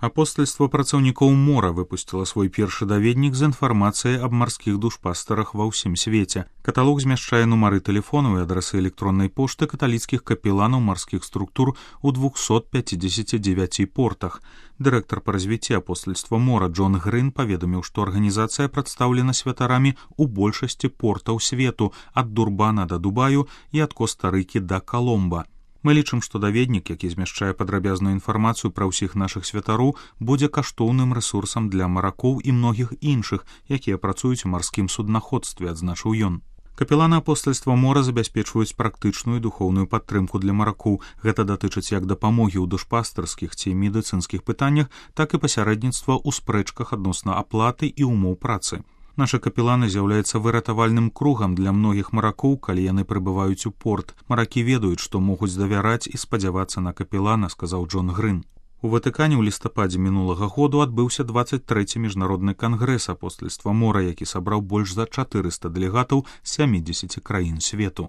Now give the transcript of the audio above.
Апостальство працаўнікоў мора выпусціла свой першы даведнік з інфармацыяй аб марскіх душпастарах ва ўсім свеце. Каталог змяшчае нумары тэлефонаў і адрасы электроннай пошты каталіцкіх капеланаў марскіх структур у 259 портах. Дырэктар па развіцці апостальства мора Джон Грын паведаміў, што арганізацыя прадстаўлена святарамі ў большасці портаў свету, ад Дурбана да Дубаю і ад Коста-Рыкі да Каломба. Мы лічым, што даведнік, які змяшчае падрабязную інфармацыю пра ўсіх нашых святароў, будзе каштоўным рэсурсам для маракоў і многіх іншых, якія працуюць у марскім суднаходстве, адзначыў ён. Капеланы апостальства мора забяспечваюць практычную і духоўную падтрымку для маракоў. Гэта датычыць як дапамогі ў душпастарскіх ці медыцынскіх пытаннях, так і пасярэдніцтва ў спрэчках адносна аплаты і ўмоў працы. Нашы капеланы з'яўляюцца выратавальным кругам для многіх маракоў, калі яны прыбываюць у порт. Маракі ведаюць, што могуць давяраць і спадзявацца на капелана, сказаў Джон Грын. У Ватыкане ў лістападзе мінулага году адбыўся 23-й міжнародны кангрэс апостальства мора, які сабраў больш за 400 дэлегатаў з 70 краін свету.